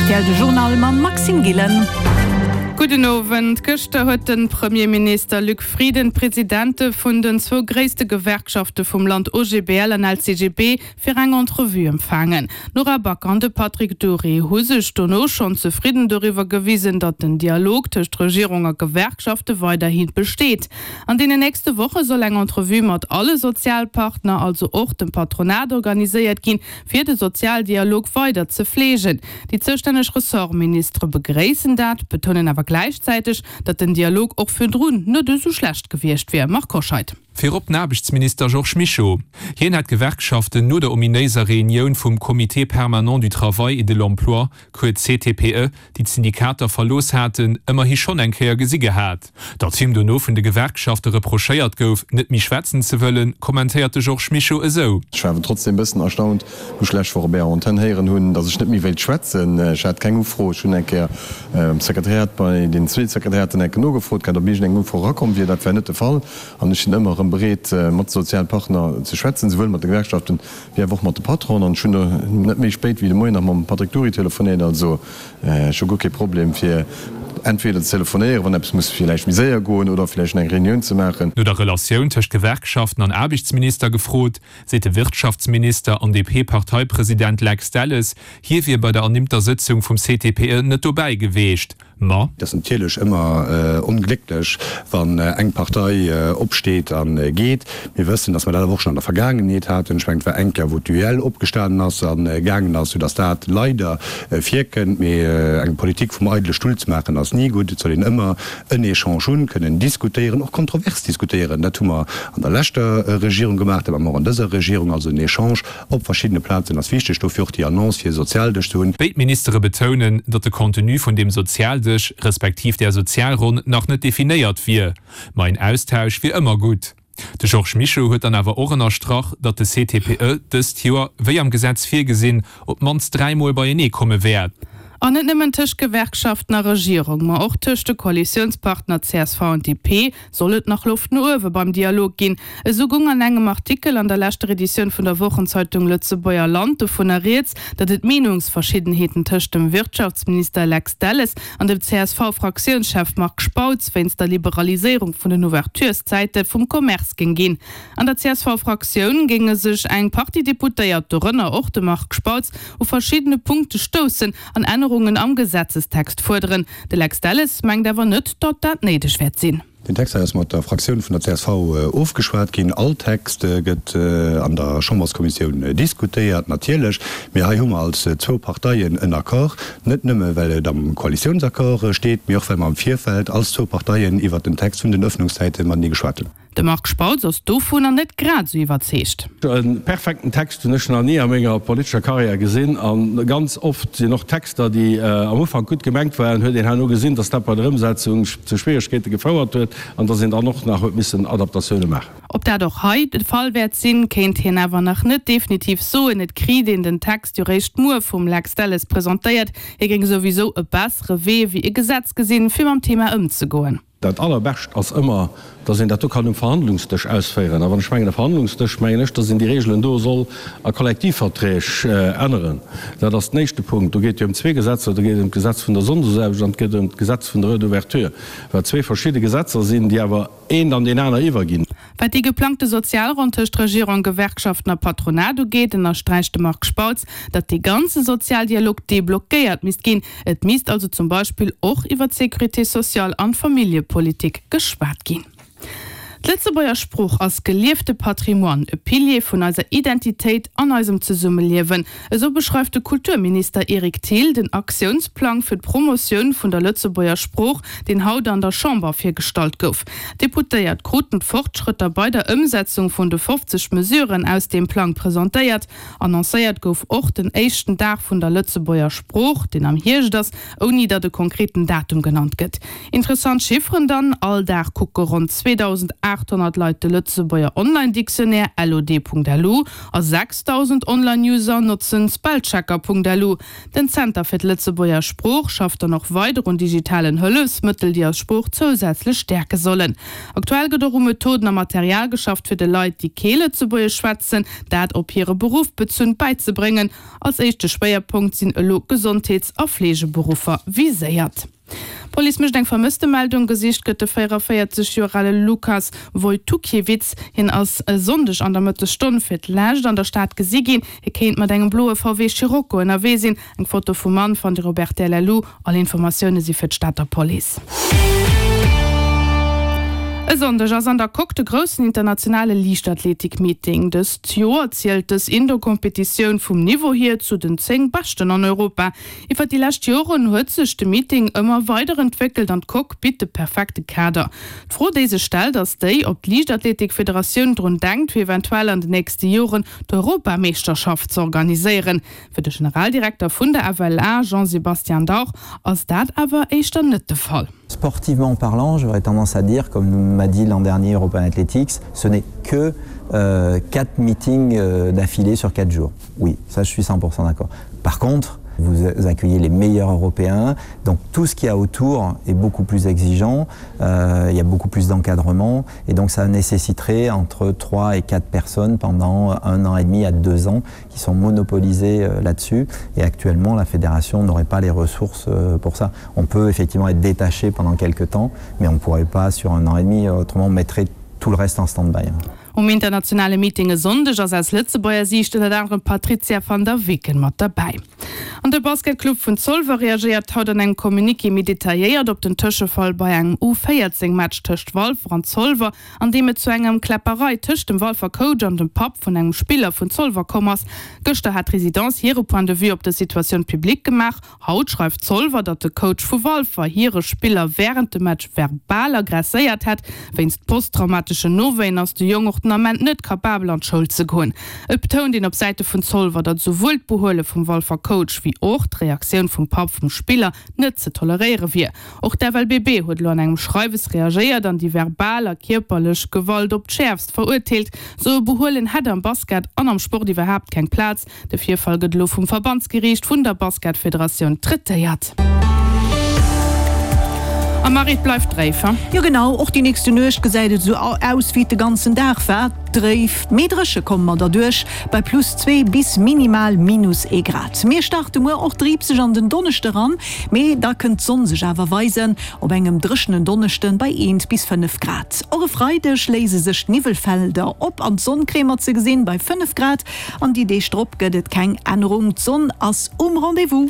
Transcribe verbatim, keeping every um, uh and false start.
R T L de Journal mam Maxime Gillen. Gudden Owend. Gëschter huet de Premierminister Luc Frieden d'Presidente vun den zwou gréisste Gewerkschafte vum Land O G B L an L C G B fir eng Entrevue empfaangen. D'Nora Back an de Patrick Dury hu sech dono schonn zefridden doriwwer gewisen, datt den Dialog tëscht Regierung a Gewerkschafte weiderhi besteet. An deenen nächste Woche soll eng Entrevue mat alle Sozialpartner, also och dem Patronat, organiséiert ginn, fir de Sozialdialog weider ze fleegen. Déi zoustänneg Ressortministere begréissen dat, betounen awer gläichzäiteg, datt den Dialog och virdrun net esou schlecht gewiescht wier. Marc Hoscheid. Virop den Aarbechtsminister Georges Mischo. Hien hat d'Gewerkschaften no der ominéiser Reunioun vum Comité permanent du travail et de l'emploi, kuerz C T P E, déi d'Syndikater verlooss haten, ëmmerhi schonn eng Kéier gesi gehat. Datt him dono vun de Gewerkschafte reprochéiert gouf, net méi schwätzen ze wëllen, kommentéiert de Georges Mischo esou. Ech war awer trotzdem e bëssen erstaunt, wou ech lescht Woch op Ärer Antenn héieren hunn, datt ech net méi wéilt schwätzen. Ech hat keng Ufro. Ech hunn eng Kéier am Sekretariat bei den zwee Sekretariaten eng Kéier nogefrot gehat, ob iergendeng Ufro erakomm wier. Dat war net de Fall. An ech sinn ëmmer erëm bereet, mat de Sozialpartner ze schwätzen, souwuel mat de Gewerkschaften wéi awer och mat de Patronen. An ech hunn do net méi spéit wéi de Moien nach mam Patrick Dury telefonéiert. Also ech hu guer kee Problem, fir entweder ze telefonéieren, wann eppes muss villäicht méi séier goen, oder villäicht eng Reunioun ze maachen. No der Relatioun tëscht Gewerkschaften an Aarbechtsminister gefrot, seet de Wirtschaftsminister an D P-Parteipresident Lex Delles, hie wier bei der ernimmter Sëtzung vum C T P E net dobäi gewiescht. Ma. Et ass natierlech ëmmer onglécklech, wann eng Partei opsteet a geet. Mir wëssen, datt mer dat awer och schonn an der Vergaangenheet haten. Ech mengen, et war eng Kéier, wou d'U E L opgestanen ass a gaangen ass, soudatt dat leider virkënnt. Mee eng Politik vum eidele Stull ze maachen, ass ni gutt. Et soll een ëmmer en Echange hunn, kënnen diskutéieren, och kontrovers diskutéieren. Dat hu mer an der leschter Regierung gemaach, dat maache mer och an dëser Regierung. Also en Echange op verschiddene Plazen ass wichteg. Dofir och déi Annonce, fir e Sozialdësch ze hunn. Béid Ministere betounen, datt de Contenu vun deem Sozialdësch, respektiv der Sozialronn nach net definéiert wier. Ma en Austausch wier ëmmer gutt. De Georges Mischo huet dann awer och ënnerstrach, datt de C T P E dëst Joer, wéi am Gesetz virgesinn, op d'mannst dräimol beienee komme wäert. An net nëmmen tëscht Gewerkschaften a Regierung, ma och tëscht de Koalitiounspartner C S V an D P soll et nach Loft no uewe beim Dialog ginn. Esou goung an engem Artikel an der leschter Editioun vun der Wochenzeitung Lëtzebuerger Land dovunner rieds, datt et Meenungsverschiddenheeten tëscht dem Wirtschaftsminister Lex Delles an dem C S V-Fraktiounschef Marc Spautz wéinst der Liberaliséierung vun den Ouvertureszäite vum Commerce géing ginn. An der C S V-Fraktioun géinge sech eng Partie Deputéiert, dorënner och de Marc Spautz, u verschiddene Punkte stoussen an Ännerungen am Gesetzestext fuerderen. De Lex Delles mengt awer net, datt dat néideg wäert sinn. Den Text hei ass mat der Fraktioun vun der C S V ofgeschwat ginn. All Text gëtt an der Chamberskommissioun diskutéiert, natierlech. Mee hei hu mer als zwou Parteien en Accord, net nëmme well et am Koalitiounsaccord steet, mee och well mer am Virfeld als zwou Parteien iwwert den Text vun den Öffnungszäite matenee geschwat hunn. De Marc Spautz ass dovunner net grad esou iwwerzeegt. E perfekten Text hunn ech nach ni a menger politescher Karriär gesinn. A ganz oft sinn och Texter, déi am Ufank gutt gemengt waren, huet een herno gesinn, datt dat bei der Ëmsetzung zu Schwieregkeete gefouert huet an datt een dann och nach huet missen Adaptatioune maachen. Ob dat och hei de Fall wäert sinn, kéint hien awer nach net definitiv soen. Et kritt een den Text jo réischt muer vum Lex Delles presentéiert. Hie géing souwisou e bessere Wee wéi e Gesetz gesinn, fir mam Thema ëmzegoen. Dat Allerbescht ass ëmmer, datt een dat do kann um Verhandlungsdësch ausféieren. A wann ech mengen e Verhandlungsdësch, mengen ech, datt een déi Regeln do soll a Kollektivverträg änneren. Dat ass den éischte Punkt. Do geet et jo ëm zwee Gesetzer, do geet et ëm d'Gesetz vun der Sonndesaarbecht an et geet ëm d'Gesetz vun der Heure d'ouverture, wat zwee verschidde Gesetzer sinn, déi awer eent an deen aner iwwerginn. Wat déi geplangte Sozialronn tëscht Regierung, Gewerkschaften a Patronat ugeet, ënnersträicht de Marc Spautz, datt dee ganze Sozialdialog deblockéiert misst ginn. Et misst also zum Beispill och iwwer d'Sécurité sociale an d'Familljepolitik geschwat ginn. D'Lëtzebuerger Sprooch ass geliefte Patrimoine, e Pilier vun eiser Identitéit an eisem Zesummeliewen. Esou beschreift de Kulturminister Eric Thill den Aktiounsplang fir d'Promotioun vun der Lëtzebuerger Sprooch, deen haut an der Chamber virgestallt gouf. D'Deputéiert kruten d'Fortschrëtter bei der Ëmsetzung vun de fofzeg Mesuren aus deem Plang presentéiert. Annoncéiert gouf och den éischten Dag vun der Lëtzebuerger Sprooch, deen am Hierscht ass, ouni datt e konkreten Datum genannt gëtt. Interessant Chifferen dann, All Dag kucke ronn zweedausendaacht aathonnert Leit de Lëtzebuerger Online-Dictionnaire lod.lu a sechsdausend Online-User notzen Spellchecker.lu. Den Zenter fir d'Lëtzebuerger Sprooch schafft dann och weider un digitalen Hëllefsmëttel, déi eis Sprooch zousätzlech stäerke sollen. Aktuell gëtt och u Methoden a Material geschafft, fir de Leit, déi kee Lëtzebuergesch schwätzen, dat op hire Beruff bezunn bäizebréngen. Als éischte Schwéierpunkt sinn elo Gesondheets a Fleegeberuffer viséiert. D'Police mécht eng Vermësstemeldung, Gesicht gëtt de véierundavéierzeg Joer ale Lukas Wojtukiewicz. Hien ass e Sonndeg an der Mëttesstonn fir d'lescht an der Stad gesi ginn. Hie kéint mat engem bloe V W Scirocco ënnerwee sinn. Eng Foto vum Mann fannt Dir op rtl. Lu. All Informatioune si fir d'Stater Police. E Sonndeg ass an der Coque de groussen internationale Liichtathletik-Meeting. Dëst Joer zielt dës Indoor-Competitioun vum Niveau hier zu den zéng beschten an Europa. Iwwer déi lescht Joren huet sech de Meeting ëmmer weider entwéckelt an d'Coque bitt de perfekte Kader. D'Fro, déi sech stellt, ass déi, ob d'Liichtathletik-Federatioun drun denkt, fir eventuell an den nächste Joren d'Europameeschterschaft ze organiséieren. Fir de Generaldirekter vun der F L A, Jean-Sébastien Dauch, ass dat awer éischter net de Fall. Sportivement parlant, j'aurais tendance à dire, comme m'a dit l'an dernier European Athletics, ce n'est que euh, quatre meetings euh, d'affilée sur quatre jours. Oui, ça je suis cent pour cent d'accord. Par contre, vous accueillez les meilleurs Européens, donc tout ce qu'il y a autour est beaucoup plus exigeant, euh, il y a beaucoup plus d'encadrement et donc ça nécessiterait entre trois et quatre personnes pendant un an et demi à deux ans qui sont monopolisées euh, là-dessus et actuellement la fédération n'aurait pas les ressources euh, pour ça. On peut effectivement être détaché pendant quelques temps, mais on ne pourrait pas sur un an et demi, autrement on mettrait tout le reste en stand-by. Um internationale Meeting e Sonndeg ass aus Lëtzebuerger Siicht ënnert anerem d'Patrizia van der Weken mat derbäi. An de Basketclub vun Zolwer reagéiert haut an engem Communiqué méi detailléiert op den Tëschefall bei engem U véierzéng Match tëscht Walfer an Zolwer, an deem et zu engem Kläpperei tëscht dem Walfer Coach an dem Papp vun engem Spiller vun Zolwer komm ass. Gëschter hat d'Residence hire Point de vue op der Situatioun public gemaach. Haut schreift Zolwer, datt de Coach vu Walfer hire Spiller wärend dem Match verbal aggresséiert hätt. Wéinst posttraumateschen Nowéien ass de Jong och den Ament net kapabel an d'Schoul ze goen. Et betount een op Säite vun Zolwer, datt souwuel d'Behuele vum Walfer Coach wéi och d'Reaktioun vum Papp vum Spiller net ze toleréiere wier. Och d'F L B B huet elo an engem Schreiwes reagéiert an déi verbal a kierperlech Gewalt op d'Schäerfst verurteelt. Sou e Behuelen hätt am Basket an am Sport iwwerhaapt keng Plaz. De Virfall gëtt elo vum Verbandsgeriicht vun der Basketfederatioun traitéiert. A Marie, et bleift dréif, he? Jo genau, och déi nächste Nuecht gesäit et esou aus wéi et de ganzen Dag war, dréif, mee dréche komme mer derduerch bei plus zwee bis minimal minus ee Grad. Mir starte muer och driibseg an den Donneschde ran, mee da kënnt d'Sonn sech awer weisen op engem dréchenen Donneschde bei eent bis fënnef Grad. Och e Freideg léise sech d'Niwwelfelder op an d'Sonn kréie mer ze gesinn bei fënnef Grad an déi Deeg drop gëtt et keng Ännerung, d'Sonn ass um Rendez-vous.